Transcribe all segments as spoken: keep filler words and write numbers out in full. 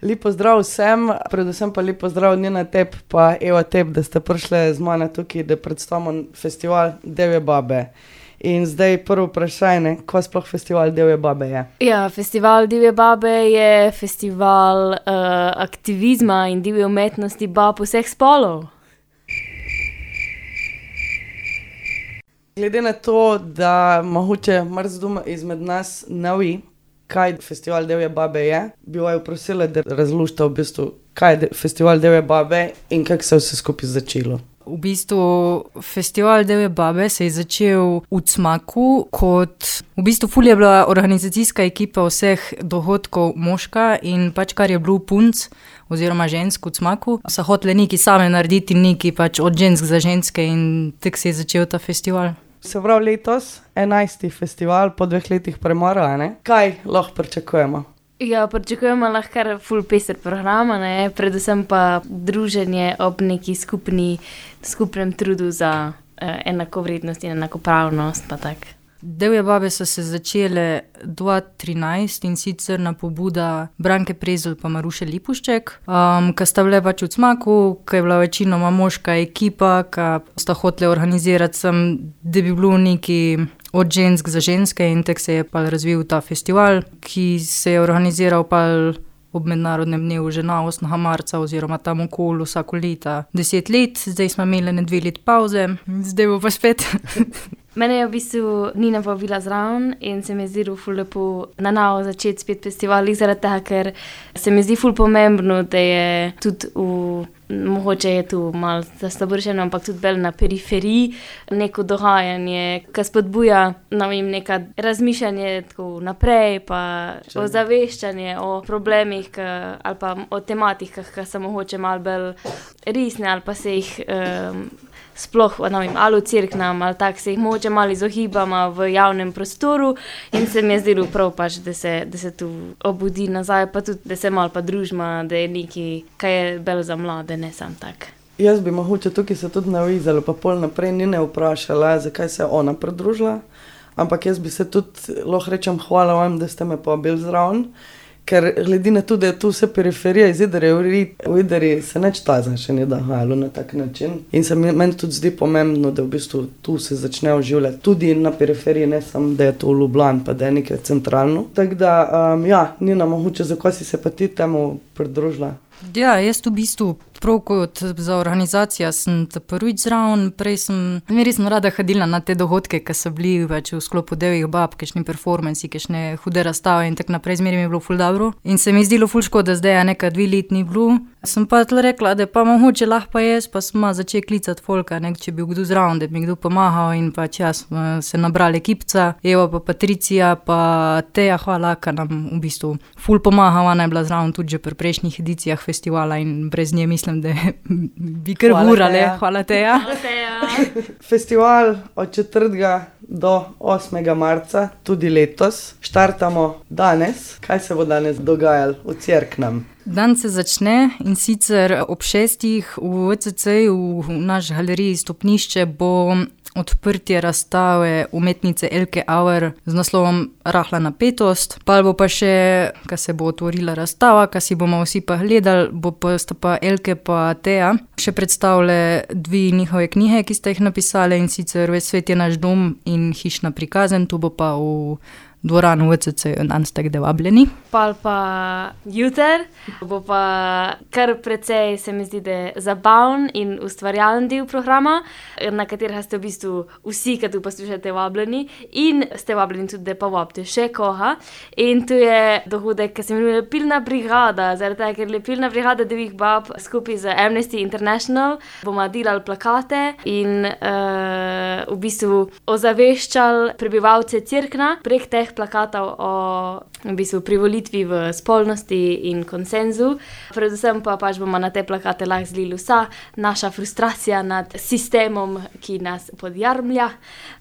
Lep pozdrav vsem, predvsem pa lep pozdrav Nina Tep pa Eva Tep, da ste prišli z mano tukaj, da predstavimo festival Divje babe. In zdaj prvo vprašanje, kaj sploh festival Divje babe je? Ja, festival Divje babe je festival uh, aktivizma in divje umetnosti bab vseh spolov. Glede na to, da mogoče marsikdo izmed nas ne ve, kaj festival Divje babe je, bi vaju prosila, da razložite v bistvu, kaj je festival Divje babe in kako se je vse skupaj začelo. V bistvu festival Divje babe se je začel v Cmaku kot, v bistvu ful je bila organizacijska ekipa vseh dogodkov moška in pač kar je bilo punc oziroma žensk v Cmaku, so hotele neki same narediti neki pač od žensk za ženske in tako se je začel ta festival. Se pravi letos, enajsti festival po dveh letih premora, ne? Kaj lahko pričakujemo? Ja, pričakujemo lahko kar ful peser programa, ne, predvsem pa druženje ob neki skupni, skupnem trudu za uh, enakovrednost in enakopravnost, pa tak. Divje babe so se začele dva tisoč trinajst in sicer na pobuda Branke Prezelj pa Maruše Lipušček, um, ki sta bile pač v Cmaku, ki je bila večinoma moška ekipa, ki sta hotele organizirati sem, da bi bilo neki od žensk za ženske in tako se je pa razvil ta festival, ki se je organiziral pa ob mednarodnem dnevu žena osmega marca oziroma tam okoli vsako leta deset let, zdaj smo imeli ne dve let pauze, zdaj bo pa spet. Mene je v bistvu Nina povabila zraven in se mi zdi ful lepo na novo začeti spet festival, zaradi tega, ker se mi zdi ful pomembno, da je tudi v, mogoče je tu malo zastaboršeno, ampak tudi bolj na periferiji neko dogajanje, ki spodbuja, ne vem, neka razmišljanje tako naprej, pa ozaveščanje o problemih ka, ali pa o tematikah, ki so mogoče malo bolj resne ali pa se jih um, sploh, ne vem, ali v cerknem, ali tak se jih mogoče malo izohibamo v javnem prostoru in se mi je zdelo prav pač, da se, da se tu obudi nazaj, pa tudi, da se malo pa družimo, da je nekaj, kaj je bolj za mlade, ne sam tak. Jaz bi mogoče tukaj se tudi navizala, pa pol naprej ni ne vprašala, zakaj se je ona pridružila, ampak jaz bi se tudi, lahko rečem, hvala vam, da ste me povabili zraven, ker glede na to, da je tu vse periferija iz Idrije, v Idriji se neč tazen še ni dogajalo na tak način. In se meni tudi zdi pomembno, da v bistvu tu se začne oživljati tudi na periferiji, ne samo, da je to v Ljubljani, pa da je nekaj centralno. Tako da, um, ja, Nina, mogoče, zakaj si se pa ti temu pridružila? Ja, jaz v bistvu prav kot za organizacijo sem ta prvič zraven, prej sem, res sem rada hodila na te dogodke, ki so bili več v sklopu Divjih bab, kakšni performansi, kakšne hude razstave in tako naprej, zmeraj mi je bilo ful dobro. In se mi je zdelo ful škoda, zdaj je nekaj dve let ni bilo. Sem pa tle rekla, da pa mogoče lahko pa jaz, pa smo začeli klicati folka, nek, če bi kdo zraven, da bi mi kdo pomagal in pač jaz smo se nabrali ekipca, Eva pa Patricija, pa Teja, hvala, ki nam v bistvu ful pomaga, ona je bila zraven tudi že pri prejšnjih edicijah festivala in brez nje mislim, da bi kar urale. Hvala Teja. Hvala Teja. Festival od četrtega do osmega marca, tudi letos, štartamo danes. Kaj se bo danes dogajalo v Cerknem? Dan se začne in sicer ob šestih v V C C-ju, v naš galeriji Stopnišče, bo odprtje razstave umetnice Elke Auer z naslovom Rahla napetost. Pa bo pa še, ko se bo otvorila razstava, ko si bomo vsi pa gledali, bo pa sta pa Elke pa Teja še predstavile dve njihove knjige, ki sta jih napisale in sicer Ves svet je naš dom in Hišna prikazen, to bo pa v dvoranu V C C, danes ste vabljeni. Pol pa juter, bo pa kar precej, se mi zdi, da je zabaven in ustvarjalen del programa, na katerega ste v bistvu vsi, ki tu poslušate, vabljeni in ste vabljeni tudi, da pa vabite še koga. In tu je dogodek, ki se imenuje Pilna brigada, zaradi tega, ker je Pilna brigada Divjih bab skupaj z Amnesty International, bomo delali plakate in uh, v bistvu ozaveščali prebivalce Cerkna prek teh plakatov o v bistvu privolitvi v spolnosti in konsenzu. Predvsem pa pač bomo na te plakate lahko zlili vsa naša frustracija nad sistemom, ki nas podjarmlja.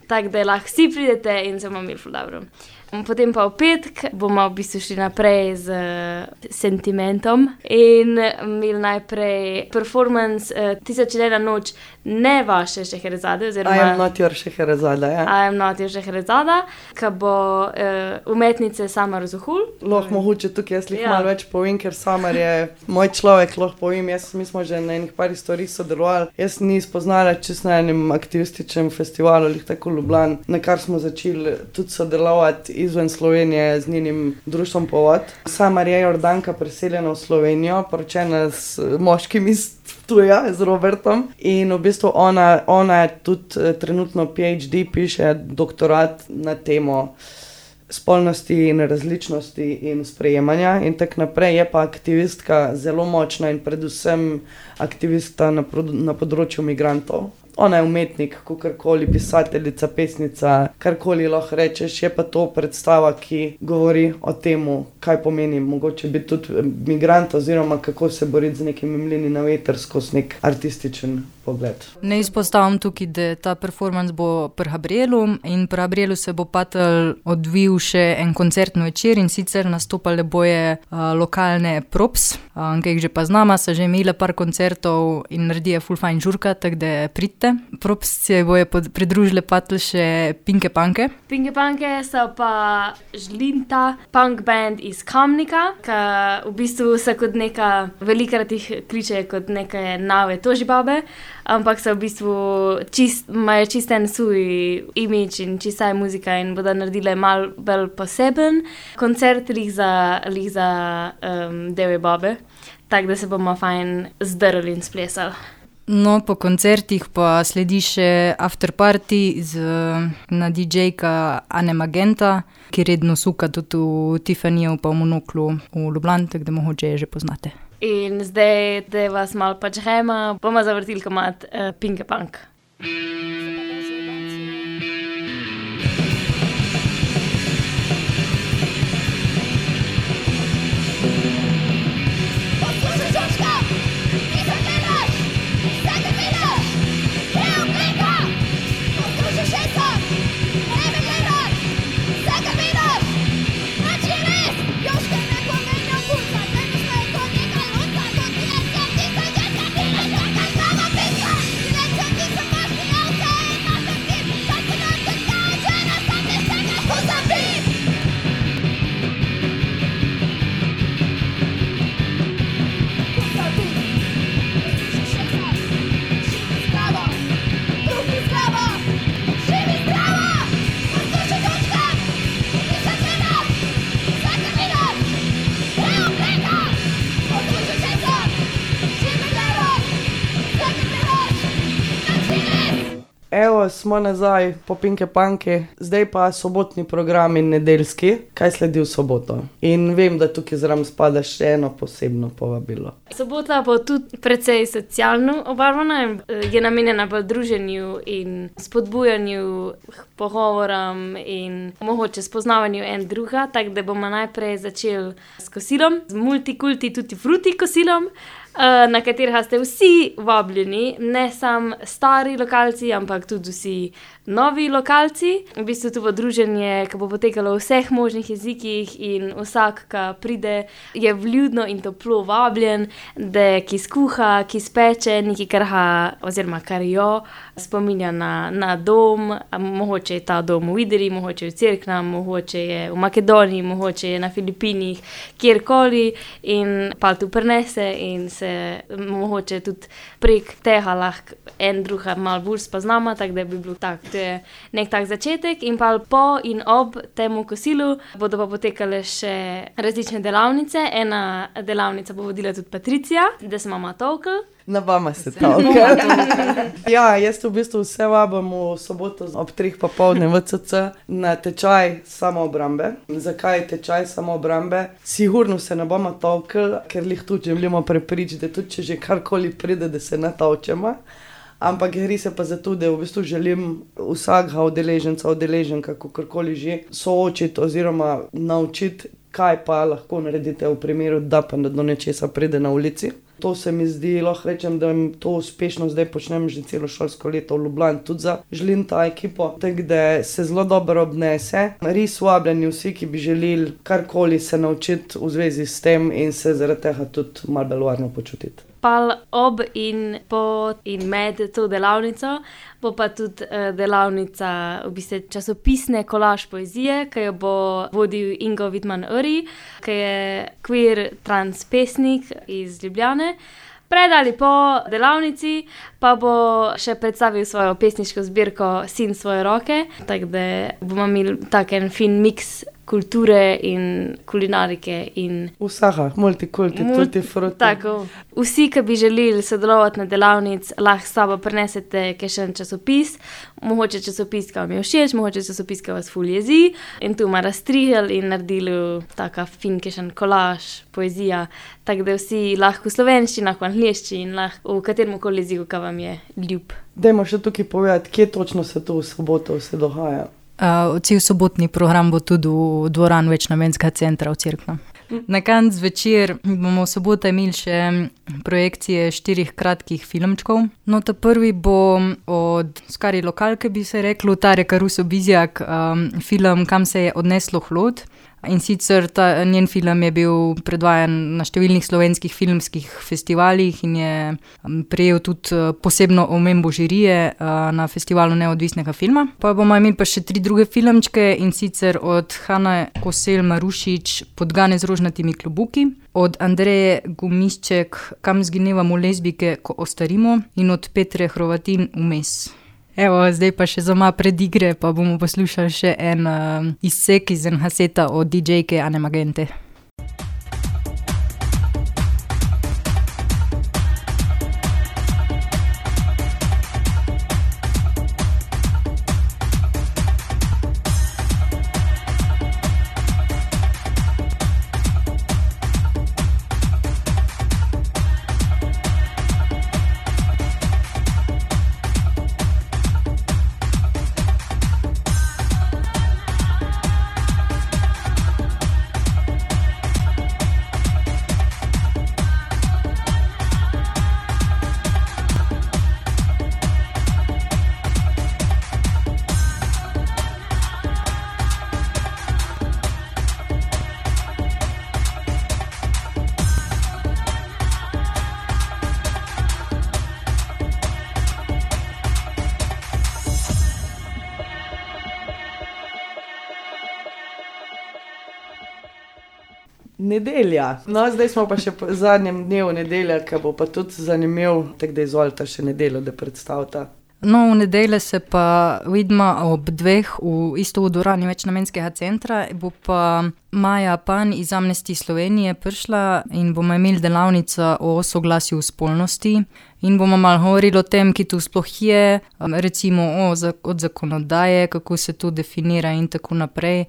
Tako da lahko vsi pridete in se bomo imeli ful dobro. Potem pa v petk bomo v bistvu šli naprej z uh, sentimentom in imeli najprej performance uh, Tisoč in ena noč, ne vaše Šeherezade, oziroma I am not your Šeherezada, ja. I am not your Šeherezada, ki bo uh, umetnice Samar Zuhul. Lahko mogoče tukaj jaz Ja. malo več povem, ker Samar je moj človek, lahko povem, jaz, mi smo že na enih par storih sodelovali. Jaz ni spoznala čisto na enem aktivističnem festivalu, lih tako Ljubljan, na kar smo začeli tudi sodelovati izven Slovenije z njenim društvom Povod. Samar je Jordanka, preseljena v Slovenijo, poročena s moškim iz Ptuja, z Robertom, in v bistvu ona, ona je tudi eh, trenutno PhD, piše doktorat na temo spolnosti in različnosti in sprejemanja in tak naprej. Je pa aktivistka zelo močna in predvsem aktivista na, pro, na področju migrantov. Ona je umetnik, kakorkoli, pisateljica, pesnica, karkoli lahko rečeš, je pa to predstava, ki govori o temu, kaj pomeni mogoče biti tudi migrant oziroma kako se boriti z nekimi mlini na veter skozi nek artističen pogled. Ne izpostavim tukaj, da ta performance bo pri Gabrielu in pri Gabrielu se bo patel odvil še en koncertni večer in sicer nastopale boje uh, lokalne props, uh, ki jih že pa znama, so že imeli par koncertov in naredijo ful fajn žurka, tako da pridite. Props se boje pod, pridružile patel še Pinke Panke. Pinke Panke so pa žlinta punk band iz Kamnika, ki v bistvu se kot neka, velikrat jih kliče kot neke nove tožibabe, ampak so v bistvu čist, imajo čist en svoj imidž in čista je muzika in bodo naredile malo bolj poseben koncert lih za, lih za um, Devi babe, tako da se bomo fajn zdrli in splesali. No, po koncertih pa sledi še afterparty z na didžejka Ane Magenta, ki redno suka tudi v Tiffanyju pa v Monoklu v Ljubljani, tako da mogoče je že poznate. In zdaj, da vas malo pač hema, bomo zavrtili komad uh, Pinke Punk. Evo, smo nazaj po Pinke Panke, zdaj pa sobotni program in nedeljski, kaj sledi v soboto. In vem, da tukaj zraven spada še eno posebno povabilo. Sobota bo tudi precej socialno obarvana, je namenjena pa druženju in spodbujanju pogovorom in mogoče spoznavanju en druga, tako da bomo najprej začeli s kosilom, z multikulti tutti frutti kosilom, na katerega ste vsi vabljeni, ne samo stari lokalci, ampak tudi vsi novi lokalci. V bistvu to bo druženje, ki bo potekalo v vseh možnih jezikih in vsak, ki pride, je vljudno in toplo vabljen, da ki skuha, ki speče, nekaj karha oziroma kar jo spominja na, na dom, mogoče je ta dom v Idri, mogoče je v Cerknem, mogoče je v Makedoniji, mogoče je na Filipinih, kjerkoli in pa tu prinese in se mogoče tudi prek tega lahko en druga malo bolj spoznamo, tako da bi bil tak, to je nek tak začetek in pa po in ob temu kosilu bodo pa potekale še različne delavnice. Ena delavnica bo vodila tudi Patricija, da se mama tolkla. Na vama se tolkla. Ja, jaz v bistvu vse vabim v soboto ob treh popoldne v C C na tečaj samoobrambe. Zakaj tečaj samoobrambe? Sigurno se ne bomo tolkli, ker lih tudi želimo prepričati, da tudi če že karkoli pride, da se ne tolčemo. Ampak gre se pa za to, da v bistvu želim vsakega udeleženca, udeleženka, kakorkoli že, soočiti oziroma naučiti, kaj pa lahko naredite v primeru, da pa do nečesa pride na ulici. To se mi zdi, lahko rečem, da to uspešno zdaj počnem že celo šolsko leto v Ljubljani, tudi za želim ta ekipo, tako da se zelo dobro obnese. Res vabljeni vsi, ki bi želeli karkoli se naučiti v zvezi s tem in se zaradi tega tudi malo bolj varno počutiti. Pal ob in po in med to delavnico bo pa tudi uh, delavnica v bistvu časopisne kolaž poezije, ki jo bo vodil Ingo Vidman-Uri, ki je queer trans pesnik iz Ljubljane. Pred ali po delavnici pa bo še predstavil svojo pesniško zbirko Sin svoje roke, tako da bomo imeli tak en fin miks kulture in kulinarike in vsaha, multikulti, Mult- tutti frutti. Tako. Vsi, ki bi želeli sodelovati na delavnic, lahko s sabo prinesete kakšen časopis, mogoče časopis, ki vam je všeč, mogoče časopis, ki vas ful jezi, in tu ima razstrihali in naredili taka fin kakšen kolaž, poezija, tako da vsi lahko v slovenščini, lahko v angleščini, lahko v katerem koli jeziku, ki vam je ljub. Dajmo še tukaj povedati, kje točno se to v soboto vse dogaja. Uh, cel sobotni program bo tudi v dvorani Večnamenskega centra v Cerkno. Na koncu zvečer bomo v soboto imeli še projekcije štirih kratkih filmčkov. No, ta prvi bo od skari lokalke, bi se reklo, Tare Karuso Bizjak, um, film Kam se je odneslo hlod. In sicer ta njen film je bil predvajan na številnih slovenskih filmskih festivalih in je prejel tudi posebno omembo žirije na festivalu neodvisnega filma. Pa bomo imeli pa še tri druge filmčke, in sicer od Hane Kosel Marušič Podgane z rožnatimi klobuki, od Andreje Gumišček Kam zginevamo lezbike, ko ostarimo, in od Petre Hrovatin Vmes. Evo, zdaj pa še za malo predigre, pa bomo poslušali še en uh, izsek iz en haseta od D J-ke Ane Magente. Nedelja. No, zdaj smo pa še po zadnjem dnevu nedelja, ki bo pa tudi zanimiv, tako da izvolite še nedeljo, da predstavita. No, v nedelje se pa vidimo ob dveh v isto v dvorani Večnamenskega centra, bo pa Maja Pan iz Amnesty Slovenije prišla in bomo imeli delavnico o soglasju v spolnosti in bomo malo govorili o tem, ki tu sploh je, recimo o, od zakonodaje, kako se to definira in tako naprej.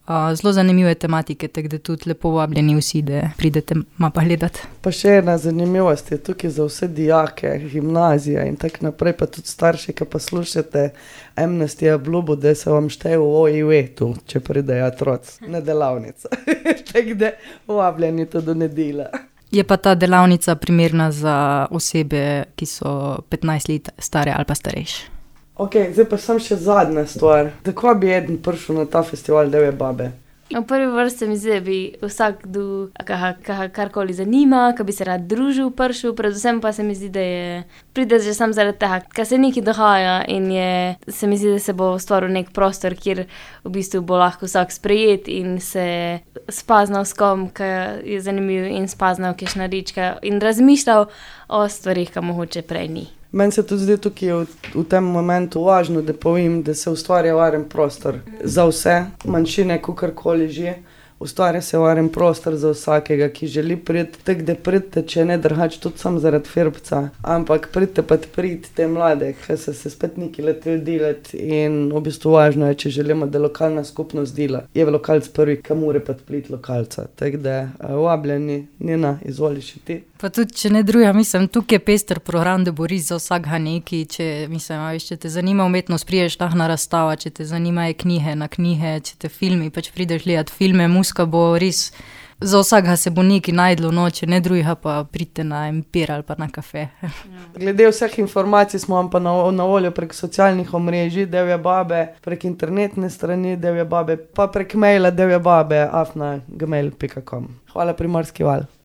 Zelo zanimive tematike, tako da tudi lepo vabljeni vsi, da pridete malo pa gledati. Pa še ena zanimivost je tukaj za vse dijake, gimnazija in tako naprej, pa tudi starši, ki pa slušate Amnesty obljubo, da se vam šteje v O I V-tu, če pridejo otroci na delavnico. Tako da vabljeni to do nedelja. Je pa ta delavnica primerna za osebe, ki so petnajst let stare ali pa starejše. Ok, zdaj pa sem še zadnja stvar. Tako bi eden prišel na ta festival Devje babe? V prvi vrsti mi zdi, da bi vsak, ki ga karkoli zanima, ki bi se rad družil, prišel, predvsem pa se mi zdi, da je pride že sam zaradi tega, ker se nekaj dogaja in je, se mi zdi, da se bo stvoril nek prostor, kjer v bistvu bo lahko vsak sprejet in se spaznal s kom, ki je zanimiv in spaznal kakšna rička in razmišljal o stvarih, ki mogoče prej ni. Meni se tudi zdi tukaj v, v tem momentu važno, da povem, da se ustvarja varen prostor za vse manjšine, kakorkoli že. Ustvarja se varen prostor za vsakega, ki želi priti, tako da pridite, če ne drugače, tudi sam zaradi firbca, ampak pridite pa priti te mlade, ki so se spet neki leteli delati in v bistvu važno je, če želimo, da lokalna skupnost dela. Je lokalc prvi, ki mora pa pliti lokalca, tako da vabljeni, Nina, izvoli še ti. Pa tudi, če ne druga, mislim, tukaj je pester program, da bo res za vsakega neki, če, mislim, viš, če te zanima umetnost, priješ lahko na razstava, če te zanimajo knjige na knjige, če te filmi, pač prideš gledati filme, muska bo res Za vsakega se bo nekaj najdlo noče, ne drugega pa pridite na empir ali pa na kafe. Glede vseh informacij smo vam pa na, na voljo prek socialnih omrežij, Devje babe, prek internetne strani Devje babe, pa prek maila devjebabe afna gmail pika com. Hvala Primorski val.